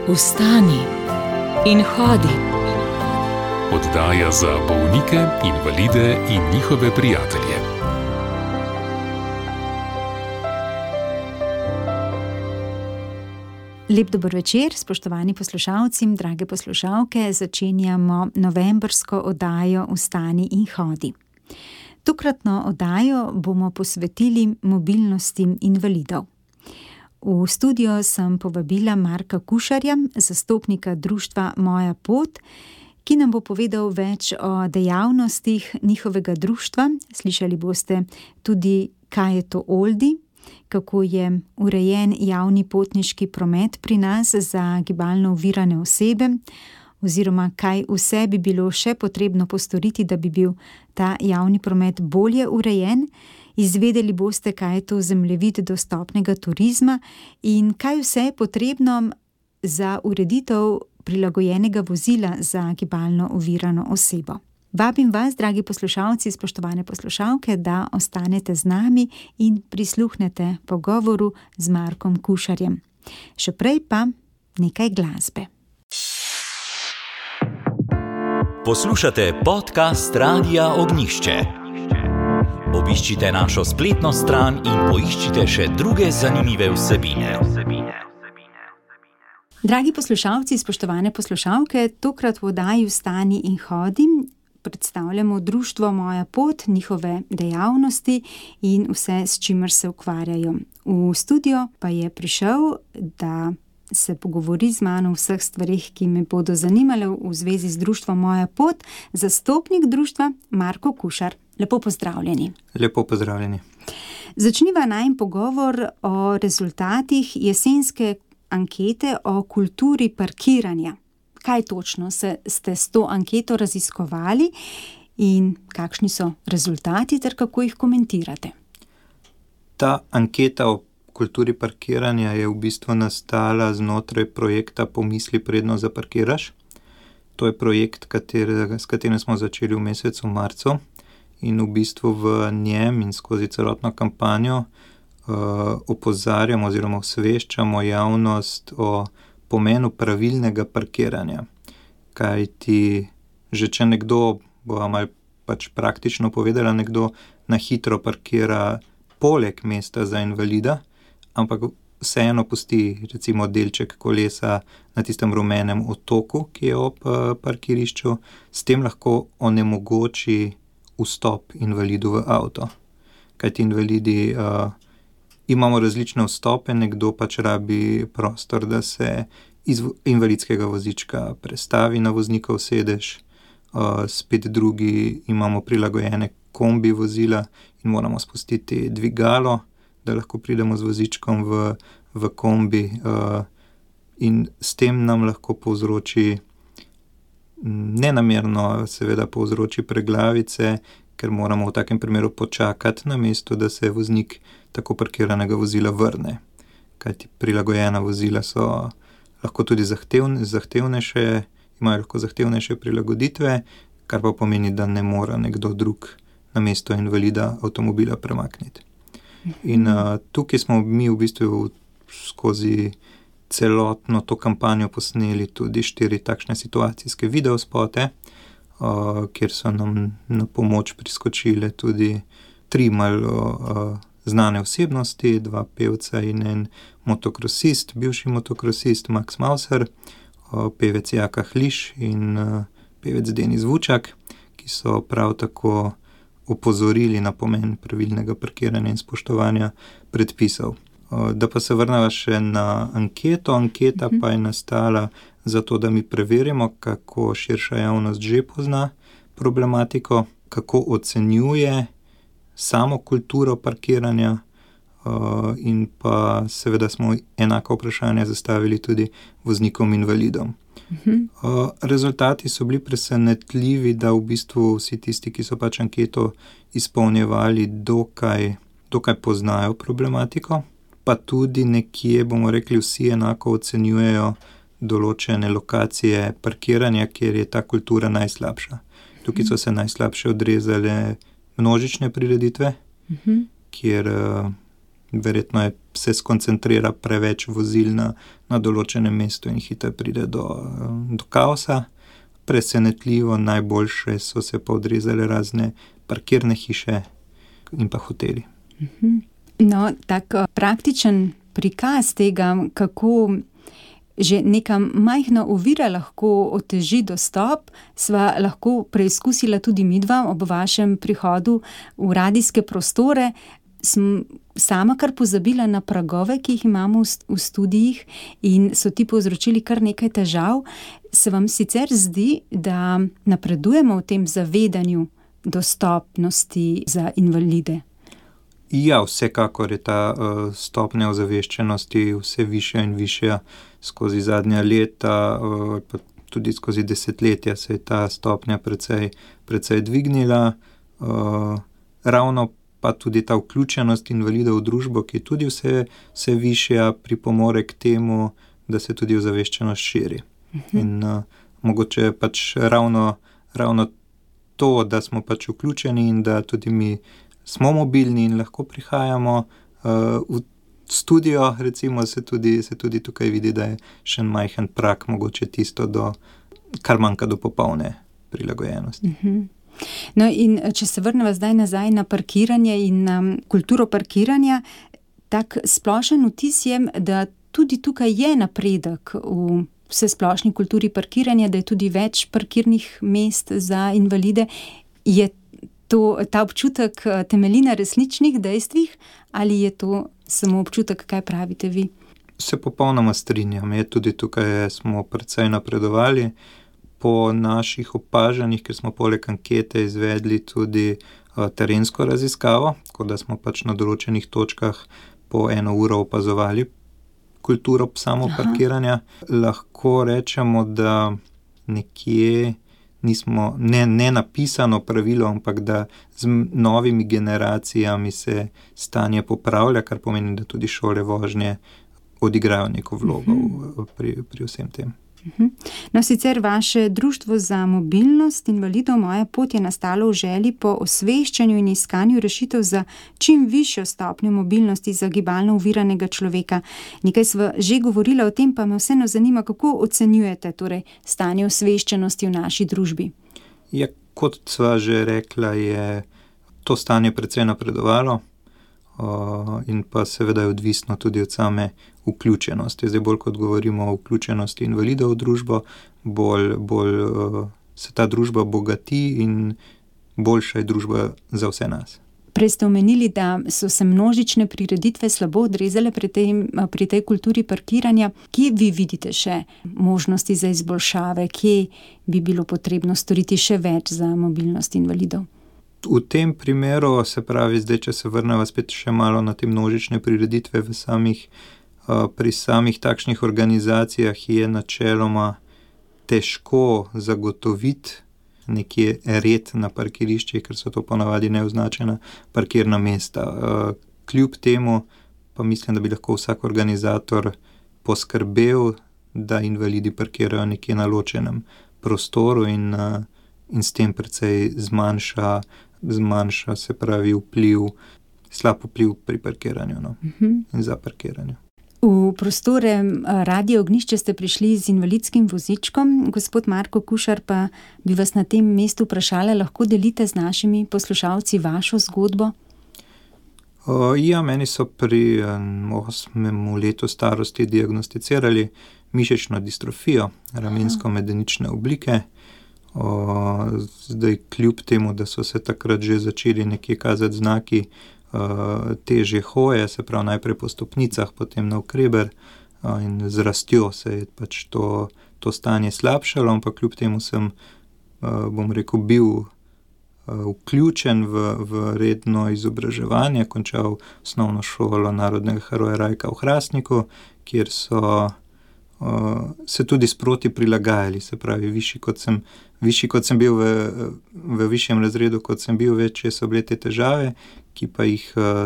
Vstani in hodi. Oddaja za bolnike, invalide in njihove prijatelje. Lep dober večer, spoštovani poslušalci, drage poslušalke. Začenjamo novembrsko oddajo Vstani in hodi. Tokratno oddajo bomo posvetili mobilnosti invalidov. V studio sem povabila Marka Kušarja, zastopnika društva Moja pot, ki nam bo povedal več o dejavnostih njihovega društva. Slišali boste tudi, kaj je to Oldi, kako je urejen javni potniški promet pri nas za gibalno ovirane osebe, oziroma kaj vse bi bilo še potrebno postoriti, da bi bil ta javni promet bolje urejen. Izvedeli boste, kaj je to zemljevid dostopnega turizma in kaj vse je potrebno za ureditev prilagojenega vozila za gibalno ovirano osebo. Vabim vas, dragi poslušalci, spoštovane poslušalke, da ostanete z nami in prisluhnete pogovoru z Markom Kušarjem. Še prej pa nekaj glasbe. Poslušate podcast Radia Ognjišče. Obiščite našo spletno stran in poiščite še druge zanimive vsebine. Dragi poslušalci, spoštovane poslušalke, tokrat v oddaji Vstani in hodi predstavljamo društvo Moja pot, njihove dejavnosti in vse, s čimer se ukvarjajo. V studio pa je prišel, da se pogovori z mano o vseh stvarih, ki me bodo zanimale v zvezi z društvom Moja pot, zastopnik društva Marko Kušar. Lepo pozdravljeni. Lepo pozdravljeni. Začniva najin pogovor o rezultatih jesenske ankete o kulturi parkiranja. Kaj točno ste s to anketo raziskovali in kakšni so rezultati ter kako jih komentirate? Ta anketa o kulturi parkiranja je v bistvu nastala znotraj projekta Pomisli, predno zaparkiraš. To je projekt, s katerim smo začeli v mesecu marcu in v bistvu v njem in skozi celotno kampanjo opozarjamo oziroma osveščamo javnost o pomenu pravilnega parkiranja. Kajti že če nekdo, bo malo pač praktično povedala, nekdo na hitro parkira poleg mesta za invalida, ampak vseeno pusti recimo delček kolesa na tistem rumenem otoku, ki je ob parkirišču, s tem lahko onemogoči vstop invalidu v avto. Kajti invalidi imamo različne vstope, nekdo pač rabi prostor, da se iz invalidskega vozička prestavi na voznikov sedež, spet drugi imamo prilagojene kombi vozila in moramo spustiti dvigalo, da lahko pridemo z vozičkom v kombi, in s tem nam lahko povzroči, nenamerno seveda povzroči preglavice, ker moramo v takem primeru počakati na mesto, da se voznik tako parkiranega vozila vrne. Kajti prilagojena vozila so lahko tudi zahtevnejše, imajo lahko zahtevnejše prilagoditve, kar pa pomeni, da ne more nekdo drug na mesto invalida avtomobila premakniti. In tukaj smo mi v bistvu skozi celotno to kampanjo posneli tudi 4 takšne situacijske videospote, kjer so nam na pomoč priskočile tudi 3 malo znane osebnosti, 2 pevca in en motokrosist, bivši motokrosist Max Mauser, pevec Jaka Hliš in pevec Denis Vučak, ki so prav tako opozorili na pomen pravilnega parkiranja in spoštovanja predpisov. Da pa se vrneva še na anketo. Anketa pa je nastala zato, da mi preverimo, kako širša javnost že pozna problematiko, kako ocenjuje samo kulturo parkiranja, in pa seveda smo enako vprašanje zastavili tudi voznikom invalidom. Rezultati so bili presenetljivi, da v bistvu vsi tisti, ki so pač anketo izpolnjevali, dokaj poznajo problematiko, pa tudi nekje, bomo rekli, vsi enako ocenjujejo določene lokacije parkiranja, kjer je ta kultura najslabša. Tukaj so se najslabše odrezale množične prireditve, kjer verjetno se skoncentrira preveč vozil na določenem mestu in hitro pride do kaosa. Presenetljivo najboljše so se pa odrezale razne parkirne hiše in pa hoteli. No, tak praktičen prikaz tega, kako že neka majhna ovira lahko oteži dostop, sva lahko preizkusila tudi midva ob vašem prihodu v radijske prostore. Sem sama kar pozabila na pragove, ki jih imamo v studijih in so ti povzročili kar nekaj težav. Se vam sicer zdi, da napredujemo v tem zavedanju dostopnosti za invalide? Ja, vsekakor je ta stopnja ozaveščenosti vse višja in višja skozi zadnja leta, pa tudi skozi desetletja se je ta stopnja precej dvignila. Ravno pa tudi ta vključenost invalidov v družbo, ki je tudi vse višja, pripomore k temu, da se tudi ozaveščenost širi. In mogoče pač ravno to, da smo pač vključeni in da tudi mi smo mobilni in lahko prihajamo v studio, recimo, se tudi tukaj vidi, da je še en majhen prak, mogoče tisto, kar manjka do popolne prilagojenosti. No, in če se vrnemo zdaj nazaj na parkiranje in na kulturo parkiranja, tak splošen vtis je, da tudi tukaj je napredek v vsesplošni kulturi parkiranja, da je tudi več parkirnih mest za invalide. Je ta občutek temelji na resničnih dejstvih ali je to samo občutek, kaj pravite vi? Se popolnoma strinjam, tudi tukaj smo precej napredovali. Po naših opažanjih, ker smo poleg ankete izvedli tudi terensko raziskavo, tako da smo pač na določenih točkah po 1 uro opazovali kulturo samoparkiranja. Lahko rečemo, da nekje nismo, ne napisano pravilo, ampak da z novimi generacijami se stanje popravlja, kar pomeni, da tudi šole vožnje odigrajo neko vlogo pri vsem tem. No, sicer vaše Društvo za mobilnost invalidov Moja pot je nastalo v želji po osveščanju in iskanju rešitev za čim višjo stopnjo mobilnosti za gibalno oviranega človeka. Nekaj sva že govorila o tem, pa me vseeno zanima, kako ocenjujete torej stanje osveščenosti v naši družbi? Ja, kot sva že rekla, je to stanje precej napredovalo in pa seveda je odvisno tudi od same vključenosti. Zdaj bolj kot govorimo o vključenosti invalidov v družbo, bolj se ta družba bogati in boljša je družba za vse nas. Prej ste omenili, da so se množične prireditve slabo odrezale pri tej kulturi parkiranja. Kje vi vidite še možnosti za izboljšave? Kje bi bilo potrebno storiti še več za mobilnost invalidov? V tem primeru, se pravi, zdaj, če se vrnemo spet še malo na te množične prireditve pri samih takšnih organizacijah, je načeloma težko zagotoviti nekje red na parkiriščih, ker so to ponavadi neoznačena parkirna mesta. Kljub temu pa mislim, da bi lahko vsak organizator poskrbel, da invalidi parkirajo nekje na ločenem prostoru in s tem precej zmanjša, se pravi, slab vpliv pri parkiranju in za parkiranju. V prostore Radia Ognjišče ste prišli z invalidskim vozičkom. Gospod Marko Kušar, pa bi vas na tem mestu vprašala, lahko delite z našimi poslušalci vašo zgodbo? Ja, meni so pri 8. letu starosti diagnosticirali mišično distrofijo ramensko-medenične oblike. Zdaj, kljub temu, da so se takrat že začeli nekje kazati znaki težje hoje, se pravi najprej po stopnicah, potem navkreber in z rastjo se je pač to stanje slabšalo, ampak kljub temu sem, bom rekel, bil vključen v redno izobraževanje, končal osnovno šolo Narodnega heroja Rajka v Hrastniku, kjer so se tudi sproti prilagajali, se pravi, višji kot sem bil v višjem razredu, kot sem bil, večje so bile te težave, ki pa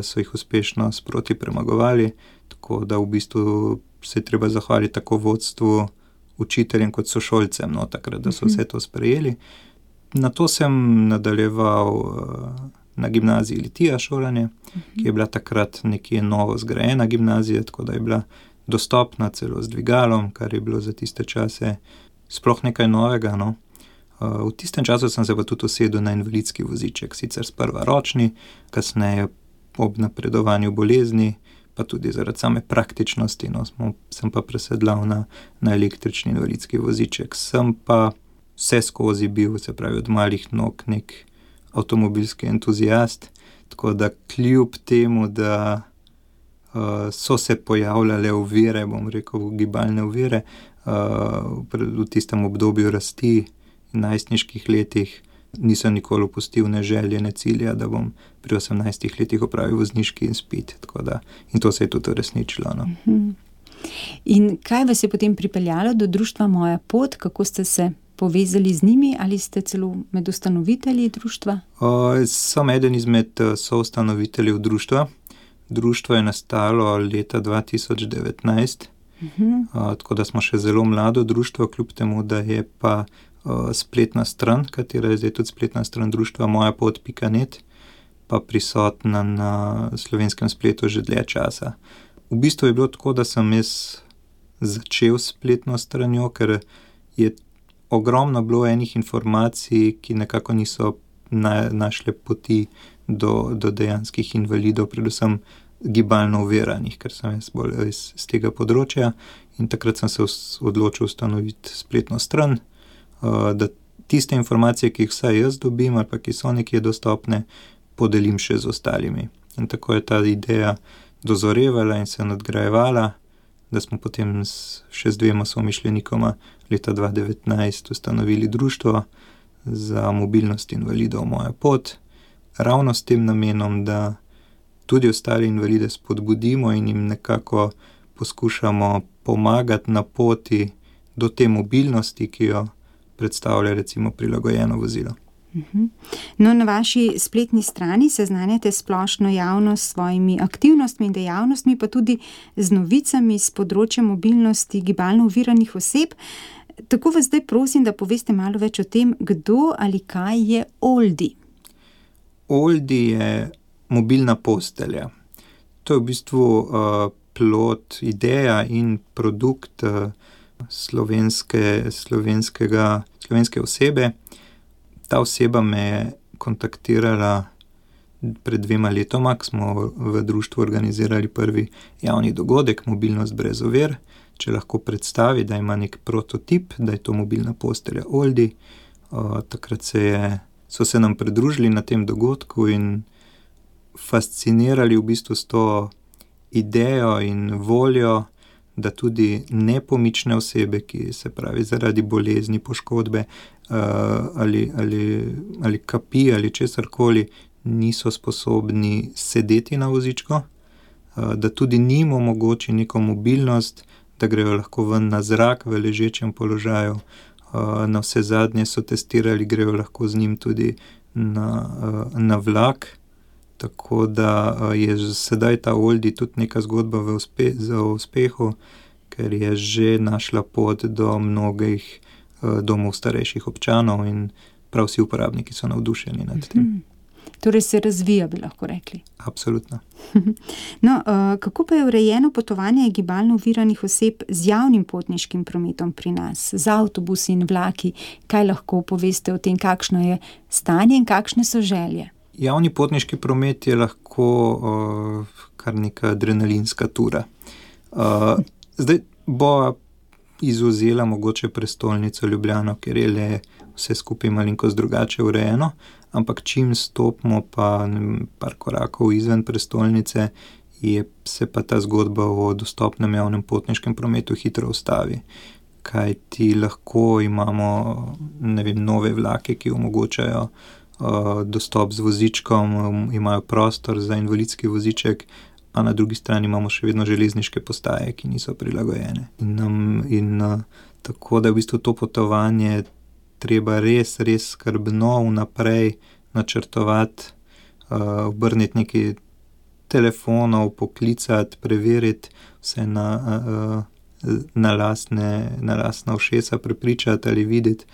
so jih uspešno sproti premagovali, tako da v bistvu se je treba zahvaliti tako vodstvu, učiteljem kot sošolcem, takrat, da so vse to sprejeli. Nato sem nadaljeval na gimnaziji Litija šolanje, ki je bila takrat nekje novo zgrajena gimnazija, tako da je bila dostopna celo z dvigalom, kar je bilo za tiste čase sploh nekaj novega, no. V tistem času sem se pa tudi usedel na invalidski voziček, sicer sprva ročni, kasneje ob napredovanju bolezni, pa tudi zaradi same praktičnosti, no, sem pa presedlal na električni invalidski voziček. Sem pa vse skozi bil, se pravi od malih nog, nek avtomobilski entuzijast, tako da kljub temu, da so se pojavljale ovire, bom rekel, gibalne ovire, v tistem obdobju rasti in najstniških letih, nisem nikoli opustil ne želje, ne cilja, da bom pri 18 letih opravil vozniški izpit, tako da, in to se je tudi uresničilo, no. In kaj vas je potem pripeljalo do društva Moja pot, kako ste se povezali z njimi, ali ste celo med ustanovitelji društva? Sem eden izmed soustanoviteljev društva. Društvo je nastalo leta 2019, tako da smo še zelo mlado društvo, kljub temu, da je pa spletna stran, katera je zdaj tudi spletna stran društva mojapot.net, pa prisotna na slovenskem spletu že dlje časa. V bistvu je bilo tako, da sem jaz začel s spletno stranjo, ker je ogromno bilo enih informacij, ki nekako niso našle poti do dejanskih invalidov, predvsem gibalno oviranih, ker sem jaz bolj iz tega področja, in takrat sem se odločil ustanoviti spletno stran, da tiste informacije, ki jih vsaj jaz dobim ali pa ki so nekje dostopne, podelim še z ostalimi. In tako je ta ideja dozorevala in se nadgrajevala, da smo potem še z 2 somišljenikoma leta 2019 ustanovili društvo za mobilnost invalidov Moja pot, ravno s tem namenom, da tudi ostale invalide spodbudimo in jim nekako poskušamo pomagati na poti do te mobilnosti, ki jo predstavlja recimo prilagojeno vozilo. No, na vaši spletni strani seznanjate splošno javnost s svojimi aktivnostmi in dejavnostmi, pa tudi z novicami z področja mobilnosti gibalno oviranih oseb. Tako vas zdaj prosim, da poveste malo več o tem, kdo ali kaj je Oldi. Oldi je mobilna postelja. To je v bistvu plod, ideja in produkt slovenske osebe. Ta oseba me je kontaktirala pred 2 letoma, ko smo v društvu organizirali prvi javni dogodek Mobilnost brez ovir. Če lahko predstavi, da ima nek prototip, da je to mobilna postelja Oldi. Takrat so se nam pridružili na tem dogodku in fascinirali v bistvu s to idejo in voljo, da tudi nepomične osebe, ki se pravi zaradi bolezni, poškodbe ali kapi ali česarkoli, niso sposobni sedeti na vozičku, da tudi njim omogoči neko mobilnost, da grejo lahko ven na zrak v ležečem položaju. Na vse zadnje so testirali, grejo lahko z njim tudi na vlak. Tako da je sedaj ta Oldi tudi neka zgodba v uspehu, ker je že našla pot do mnogih domov starejših občanov in prav vsi uporabniki so navdušeni nad tem. Torej se razvija, bi lahko rekli. Absolutno. No, kako pa je urejeno potovanje gibalno oviranih oseb z javnim potniškim prometom pri nas, z avtobusi in vlaki? Kaj lahko poveste o tem, kakšno je stanje in kakšne so želje? Javni potniški promet je lahko kar neka adrenalinska tura. Zdaj bo izvzela mogoče prestolnico Ljubljano, ker je le vse skupaj malenkost drugače urejeno, ampak čim stopimo pa par korakov izven prestolnice, se pa ta zgodba o dostopnem javnem potniškem prometu hitro ustavi. Kaj ti lahko imamo, nove vlake, ki omogočajo dostop z vozičkom, imajo prostor za invalidski voziček, a na drugi strani imamo še vedno železniške postaje, ki niso prilagojene. In tako da v bistvu to potovanje treba res skrbno vnaprej načrtovati, obrniti nekaj telefonov, poklicati, preveriti vse na lastna ušesa, prepričati ali videti,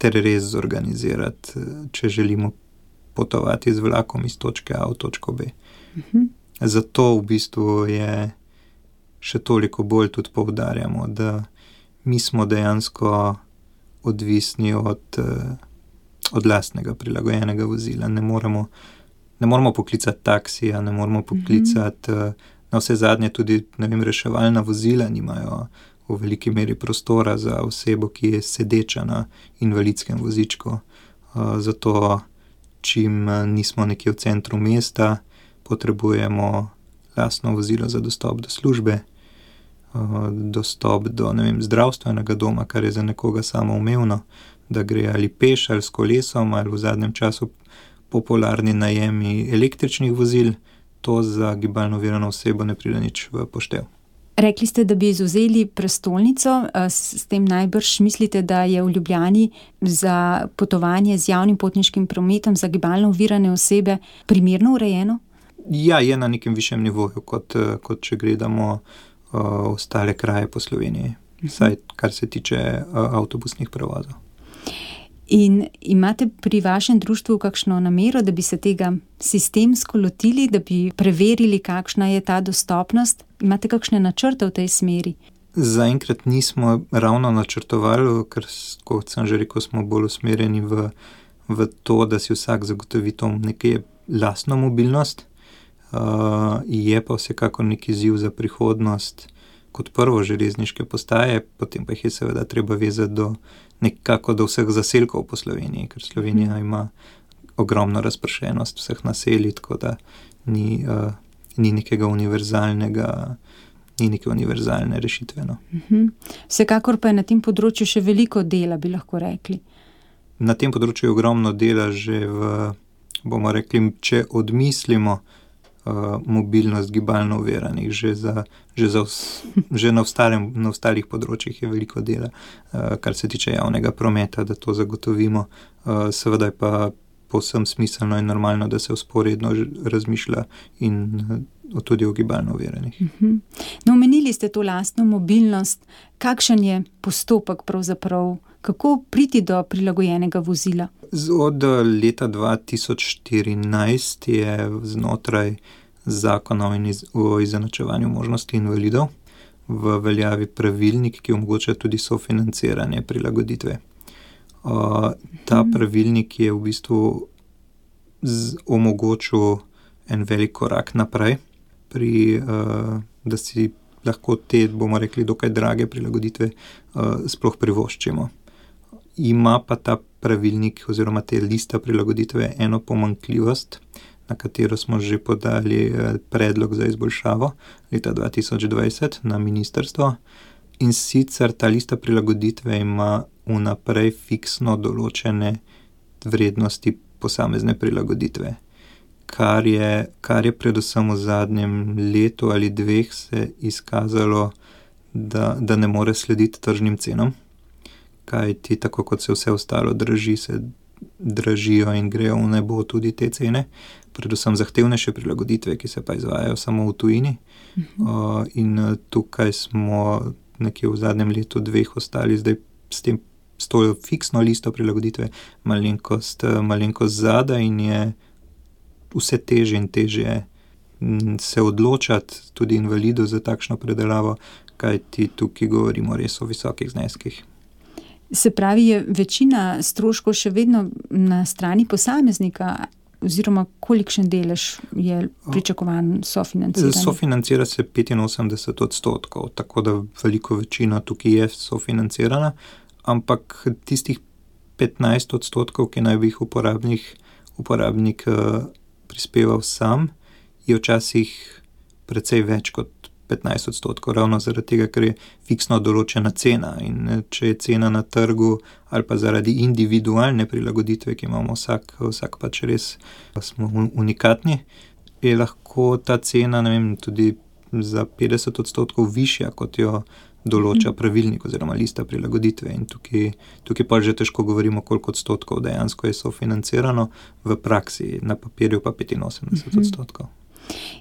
ter res zorganizirati, če želimo potovati z vlakom iz točke A v točko B. Zato v bistvu je še toliko bolj tudi poudarjamo, da mi smo dejansko odvisni od lastnega prilagojenega vozila. Ne moremo poklicati taksija, ne moremo poklicati, na vse zadnje tudi, reševalna vozila nimajo v veliki meri prostora za osebo, ki je sedeča na invalidskem vozičku. Zato, čim nismo nekje v centru mesta, potrebujemo lastno vozilo za dostop do službe, dostop do, zdravstvenega doma, kar je za nekoga samoumevno, da gre ali peš ali s kolesom, ali v zadnjem času popularni najemi električnih vozil, to za gibalno ovirano osebo ne pride nič v poštev. Rekli ste, da bi izvzeli prestolnico, s tem najbrž mislite, da je v Ljubljani za potovanje z javnim potniškim prometom za gibalno ovirane osebe primerno urejeno? Ja, je na nekem višjem nivoju, kot če gledamo ostale kraje po Sloveniji, vsaj kar se tiče avtobusnih prevozov. In imate pri vašem društvu kakšno namero, da bi se tega sistemsko lotili, da bi preverili, kakšna je ta dostopnost? Imate kakšne načrte v tej smeri? Zaenkrat nismo ravno načrtovali, ker, kot sem že rekel, smo bolj usmerjeni v to, da si vsak zagotovi to nekaj lastno mobilnost. Je pa vsekakor neki izziv za prihodnost, kot prvo železniške postaje, potem pa jih je seveda treba vezati do vseh zaselkov po Sloveniji, ker Slovenija ima ogromno razpršenost vseh naselij, tako da ni nekega univerzalnega, ni neke univerzalne rešitve. No. Vsekakor pa je na tem področju še veliko dela, bi lahko rekli. Na tem področju je ogromno dela že bomo rekli, če odmislimo mobilnost gibalno oviranih, že na ostalih področjih je veliko dela, kar se tiče javnega prometa, da to zagotovimo. Seveda je pa povsem smiselno in normalno, da se vzporedno razmišlja in tudi o gibalno oviranih. No, omenili ste to lastno mobilnost. Kakšen je postopek pravzaprav? Kako priti do prilagojenega vozila? Od leta 2014 je znotraj Zakona o izenačevanju možnosti invalidov v veljavi pravilnik, ki omogoča tudi sofinanciranje prilagoditve. Ta pravilnik je v bistvu omogočil en velik korak naprej, da si lahko te, bomo rekli, dokaj drage prilagoditve sploh privoščimo. Ima pa ta pravilnik oziroma te lista prilagoditve eno pomanjkljivost, na katero smo že podali predlog za izboljšavo leta 2020 na ministrstvo. In sicer ta lista prilagoditve ima vnaprej fiksno določene vrednosti posamezne prilagoditve, kar je predvsem v zadnjem letu ali dveh se izkazalo, da ne more slediti tržnim cenam. Kajti tako kot se vse ostalo draži, se dražijo in grejo v nebo tudi te cene, predvsem zahtevnejše prilagoditve, ki se pa izvajajo samo v tujini. In tukaj smo nekje v zadnjem letu dveh ostali zdaj s to fiksno listo prilagoditve malenkost zadaj in je vse težje in težje se odločati tudi invalidu za takšno predelavo, kajti tukaj govorimo res o visokih zneskih. Se pravi, je večina stroškov še vedno na strani posameznika, oziroma kolikšen delež je pričakovan sofinanciranje? Sofinancira se 85%, tako da veliko večina tukaj je sofinancirana, ampak tistih 15%, ki naj bi jih uporabnik prispeval sam, je včasih precej več kot 15%, ravno zaradi tega, ker je fiksno določena cena. In če je cena na trgu ali pa zaradi individualne prilagoditve, ki imamo vsak pač res smo unikatni, je lahko ta cena, tudi za 50% višja, kot jo določa pravilnik oziroma lista prilagoditve. In tukaj pa že težko govorimo, koliko odstotkov dejansko je sofinancirano, v praksi na papirju pa 85%.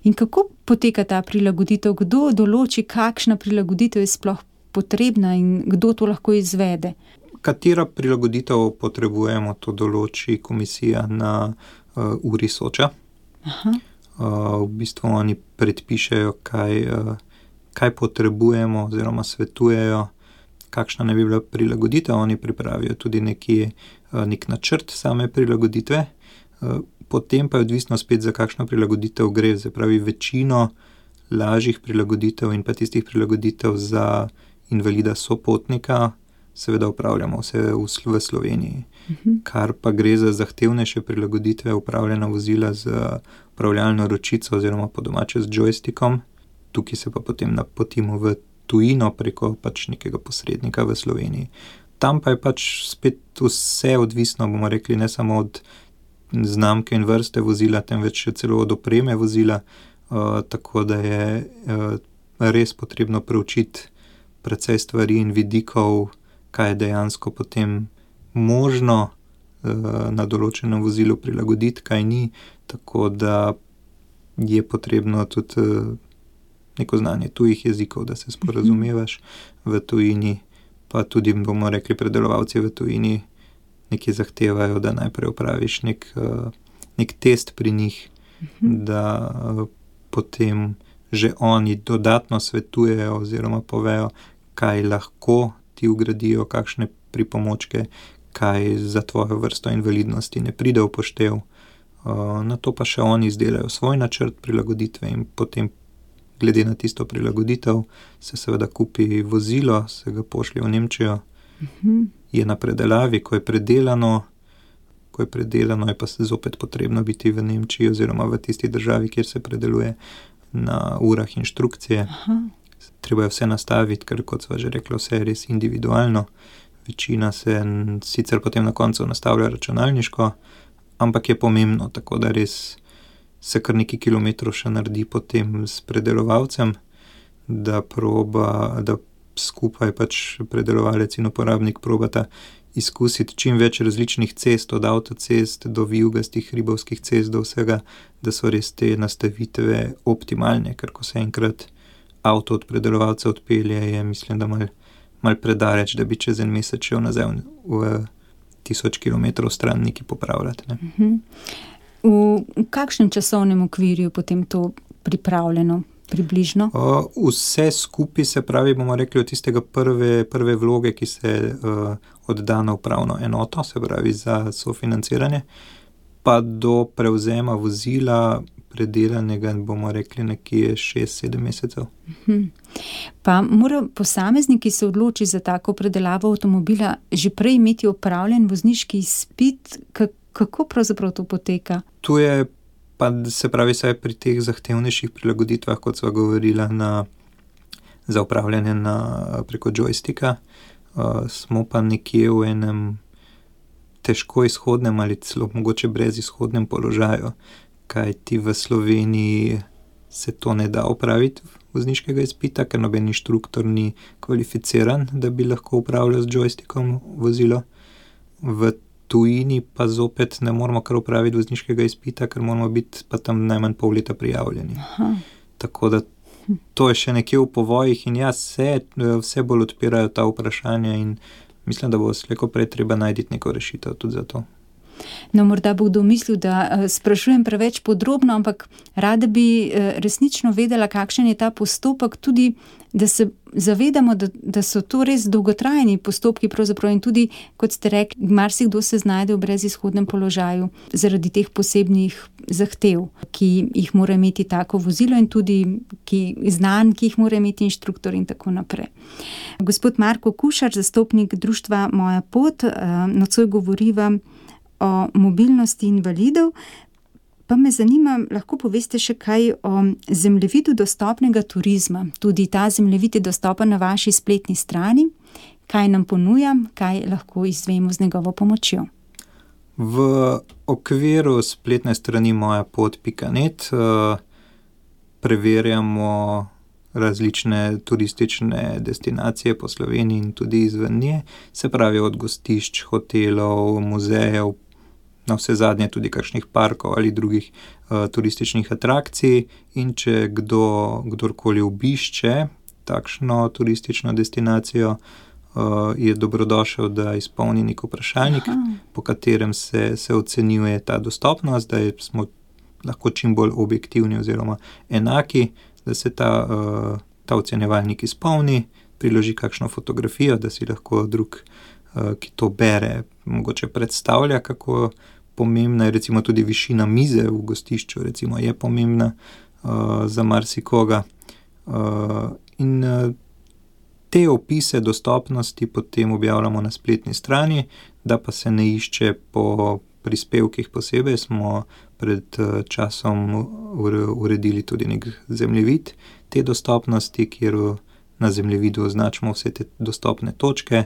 In kako poteka ta prilagoditev? Kdo določi, kakšna prilagoditev je sploh potrebna in kdo to lahko izvede? Katera prilagoditev potrebujemo, to določi komisija na uri Soča. V bistvu oni predpišejo, kaj potrebujemo oziroma svetujejo, kakšna ne bi bila prilagoditev. Oni pripravijo tudi nek načrt same prilagoditve. Potem pa je odvisno spet, za kakšno prilagoditev gre. Se pravi, večino lažjih prilagoditev in pa tistih prilagoditev za invalida sopotnika seveda upravljamo vse v Sloveniji. Kar pa gre za zahtevnejše prilagoditve, upravljena vozila z upravljalno ročico oziroma po domače z joystickom. Tukaj se pa potem napotimo v tujino preko pač nekega posrednika v Sloveniji. Tam pa je pač spet vse odvisno, bomo rekli, ne samo od znamke in vrste vozila, temveč celo od opreme vozila, tako da je res potrebno preučiti precej stvari in vidikov, kaj je dejansko potem možno na določenem vozilu prilagoditi, kaj ni, tako da je potrebno tudi neko znanje tujih jezikov, da se sporazumevaš v tujini, pa tudi, bomo rekli, predelovalci v tujini nekaj zahtevajo, da najprej opraviš nek test pri njih, da potem že oni dodatno svetujejo oziroma povejo, kaj lahko ti vgradijo, kakšne pripomočke, kaj za tvojo vrsto invalidnosti ne pride v poštev. Nato pa še oni izdelajo svoj načrt prilagoditve in potem glede na tisto prilagoditev se seveda kupi vozilo, se ga pošlje v Nemčijo, je na predelavi, ko je predelano, je pa se zopet potrebno biti v Nemčiji oziroma v tisti državi, kjer se predeluje, na urah inštrukcije. Treba je vse nastaviti, ker kot sva že rekla, vse je res individualno. Večina se sicer potem na koncu nastavlja računalniško, ampak je pomembno, tako da res se kar nekaj kilometrov še naredi potem s predelovalcem, da skupaj pač predelovalec in uporabnik probata izkusiti čim več različnih cest, od avtocest do vijugastih hribovskih cest, do vsega, da so res te nastavitve optimalne, ker ko se enkrat avto od predelovalca odpelje, je mislim, da mal predaleč, da bi čez en mesec šel nazaj v 1000 kilometrov stran nekaj popravljati. Ne? V kakšnem časovnem okvirju potem to pripravljeno? Približno? Vse skupaj, se pravi, bomo rekli, od tistega prve vloge, ki se odda na upravno enoto, se pravi za sofinanciranje, pa do prevzema vozila predelanega, bomo rekli, nekje 6-7 mesecev. Pa mora posameznik, ki se odloči za tako predelavo avtomobila, že prej imeti opravljen vozniški izpit? Kako pravzaprav to poteka? Tu je pa, se pravi, saj pri teh zahtevnejših prilagoditvah, kot sva govorila, za upravljanje preko joysticka, smo pa nekje v enem težko izhodnem ali celo mogoče brez izhodnem položaju, kajti v Sloveniji se to ne da opraviti vozniškega izpita, ker noben inštruktor ni kvalificiran, da bi lahko upravljal z joystickom vozilo. V tujini pa zopet ne moramo kar upraviti vozniškega izpita, ker moramo biti pa tam najmanj pol leta prijavljeni. Tako da to je še nekje v povojih in vse bolj odpirajo ta vprašanja in mislim, da bo slejko prej treba najti neko rešitev tudi za to. No, morda bo kdo mislil, da sprašujem preveč podrobno, ampak rada bi resnično vedela, kakšen je ta postopek, tudi da se zavedamo, da so to res dolgotrajni postopki pravzaprav in tudi, kot ste rekli, marsikdo se znajde v brezizhodnem položaju zaradi teh posebnih zahtev, ki jih mora imeti tako vozilo in tudi znanj, ki jih mora imeti inštruktor in tako naprej. Gospod Marko Kušar, zastopnik društva Moja pot, nocoj govoriva o mobilnosti invalidov, pa me zanima, lahko poveste še kaj o zemljevidu dostopnega turizma. Tudi ta zemljevid je dostopen na vaši spletni strani. Kaj nam ponuja, kaj lahko izvemo z njegovo pomočjo? V okviru spletne strani mojapot.net preverjamo različne turistične destinacije po Sloveniji in tudi izven nje, se pravi od gostišč, hotelov, muzejev, na vse zadnje tudi kakšnih parkov ali drugih turističnih atrakcij, in če kdorkoli obišče takšno turistično destinacijo, je dobrodošel, da izpolni nek vprašalnik, po katerem se ocenjuje ta dostopnost, da smo lahko čim bolj objektivni oziroma enaki, da se ta ocenjevalnik izpolni, priloži kakšno fotografijo, da si lahko drug, ki to bere, mogoče predstavlja, kako pomembna je recimo tudi višina mize v gostišču, recimo je pomembna za marsikoga. In te opise dostopnosti potem objavljamo na spletni strani, da pa se ne išče po prispevkih posebej, smo pred časom uredili tudi nek zemljevid te dostopnosti, kjer na zemljevidu označimo vse te dostopne točke,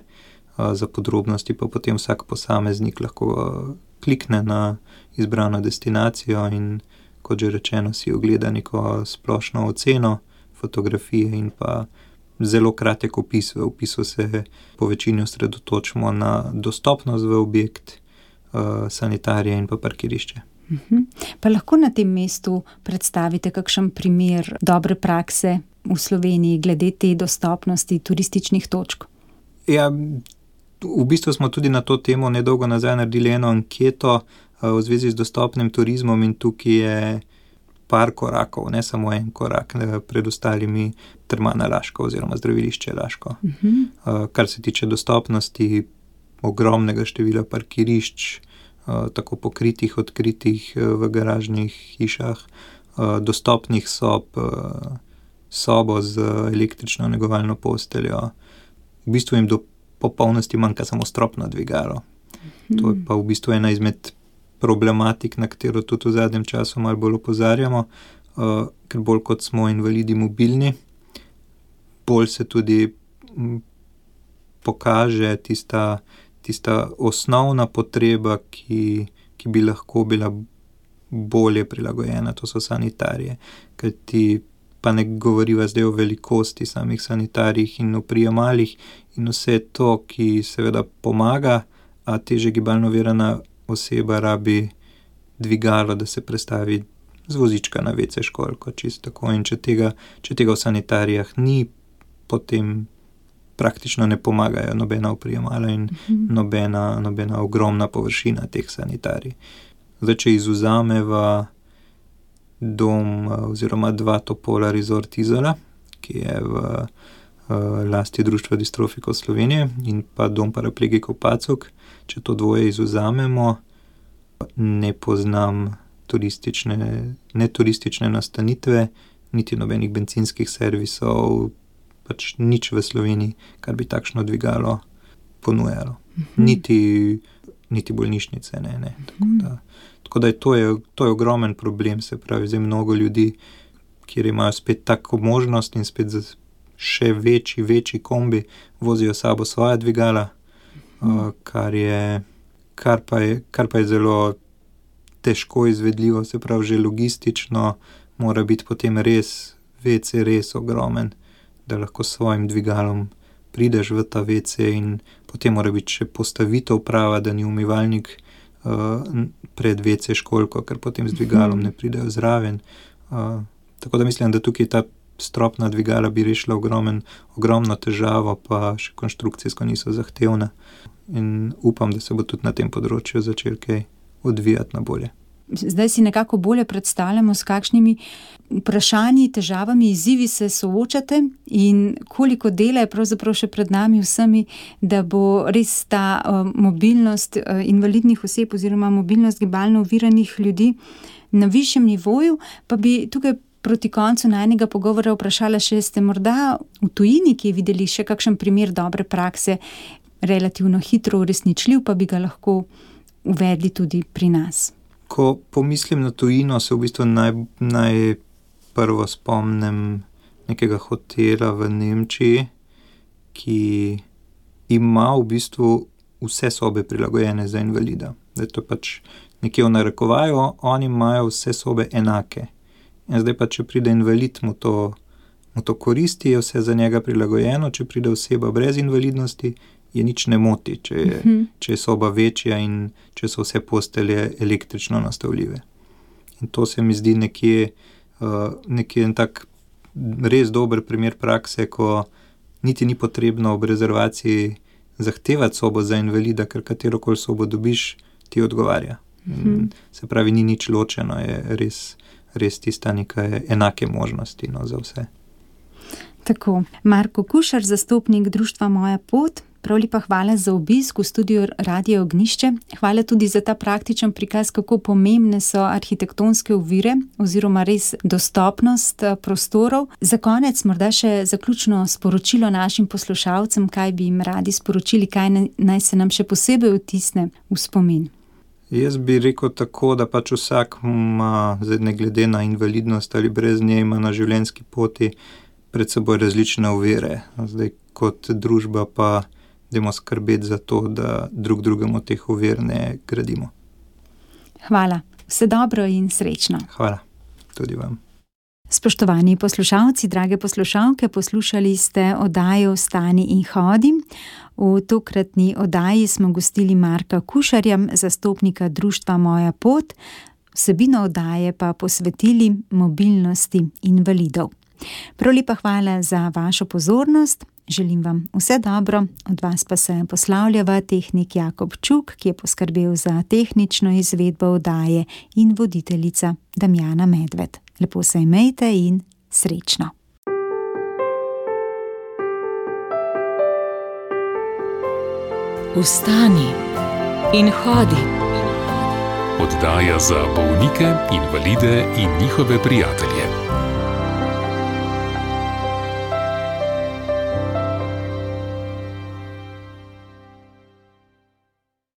za podrobnosti pa potem vsak posameznik lahko klikne na izbrano destinacijo in, kot že rečeno, si ogleda neko splošno oceno, fotografije in pa zelo kratek opis. V opisu se po večini osredotočimo na dostopnost v objekt, sanitarije in pa parkirišče. Pa lahko na tem mestu predstavite kakšen primer dobre prakse v Sloveniji glede te dostopnosti turističnih točk? Ja, v bistvu smo tudi na to temo nedolgo nazaj naredili eno anketo v zvezi z dostopnim turizmom in tukaj je par korakov, ne samo en korak pred ostalimi Termana Laško oziroma zdravilišče Laško. Kar se tiče dostopnosti ogromnega števila parkirišč, tako pokritih, odkritih v garažnih hišah, dostopnih sobo z električno negovalno posteljo. V bistvu jim do popolnosti manjka samo stropno dvigalo. To je pa v bistvu ena izmed problematik, na katero tudi v zadnjem času malo bolj opozarjamo, ker bolj kot smo invalidi mobilni, bolj se tudi pokaže tista osnovna potreba, ki bi lahko bila bolje prilagojena, to so sanitarije. Kajti pa ne govoriva zdaj o velikosti samih sanitarijih in o prijemalih in vse to, ki seveda pomaga, a teže gibalno ovirana oseba rabi dvigalo, da se prestavi z vozička na WC školjko, čisto tako. In če tega v sanitarijah ni, potem praktično ne pomagajo nobena oprijemala in nobena ogromna površina teh sanitarij. Zdaj, če izvzameva dom oziroma dva Topola Resort Izola, ki je v lasti Društva distrofikov Slovenije, in pa dom paraplegikov Pacuk, če to dvoje izvzamemo, ne poznam turistične nastanitve, niti nobenih bencinskih servisov, pač nič v Sloveniji, kar bi takšno dvigalo ponujalo. Niti bolnišnice, ne. Tako da to je ogromen problem, se pravi, zdaj mnogo ljudi, kjer imajo spet tako možnost in spet še večji kombi, vozijo sabo svoja dvigala, kar pa je zelo težko izvedljivo, se pravi, že logistično mora biti potem WC res ogromen, da lahko s svojim dvigalom prideš v ta WC in potem mora biti še postavitev prava, da ni umivalnik pred WC školjko, ker potem z dvigalom ne pridejo zraven. Tako da mislim, da tukaj ta stropna dvigala bi rešila ogromno težavo, pa še konstrukcijsko niso zahtevna. In upam, da se bo tudi na tem področju začel kaj odvijati na bolje. Zdaj si nekako bolje predstavljamo, s kakšnimi vprašanji, težavami, izzivi se soočate in koliko dela je pravzaprav še pred nami vsemi, da bo res ta mobilnost invalidnih oseb oziroma mobilnost gibalno oviranih ljudi na višjem nivoju. Pa bi tukaj proti koncu najnega pogovora vprašala še, ste morda v tujini, ki je videli še kakšen primer dobre prakse, relativno hitro uresničljiv, pa bi ga lahko uvedli tudi pri nas? Ko pomislim na tujino, se v bistvu najprvo spomnim nekega hotela v Nemčiji, ki ima v bistvu vse sobe prilagojene za invalida. Zdaj to pač nekje v narekovaju, oni imajo vse sobe enake. In zdaj pa, če pride invalid, mu to koristi, je vse za njega prilagojeno, če pride oseba brez invalidnosti, je nič ne moti, če je soba večja in če so vse postelje električno nastavljive. In to se mi zdi nekje en tak res dober primer prakse, ko niti ni potrebno ob rezervaciji zahtevati sobo za invalida, ker katerokoli sobo dobiš, ti odgovarja. Se pravi, ni nič ločeno, je res tista neka enake možnosti, no, za vse. Tako, Marko Kušar, zastopnik društva Moja pot, prav lepa hvala za obisk v studiu Radia Ognjišče. Hvala tudi za ta praktičen prikaz, kako pomembne so arhitektonske ovire oziroma res dostopnost prostorov. Za konec morda še zaključno sporočilo našim poslušalcem, kaj bi jim radi sporočili, kaj naj se nam še posebej vtisne v spomin. Jaz bi rekel tako, da pač vsak ima, ne glede na invalidnost ali brez nje, ima na življenjski poti pred seboj različne ovire. Zdaj kot družba pa dajmo skrbeti za to, da drug drugemu teh ovir ne gradimo. Hvala. Vse dobro in srečno. Hvala. Tudi vam. Spoštovani poslušalci, drage poslušalke, poslušali ste oddajo Vstani in hodi. V tokratni oddaji smo gostili Marka Kušarja, zastopnika društva Moja pot, vsebino oddaje pa posvetili mobilnosti invalidov. Prav lepa hvala za vašo pozornost, želim vam vse dobro, od vas pa se poslavljava tehnik Jakob Čuk, ki je poskrbel za tehnično izvedbo oddaje, in voditeljica Damjana Medved. Lepo se imejte in srečno. Vstani in hodi. Oddaja za bolnike, invalide in njihove prijatelje.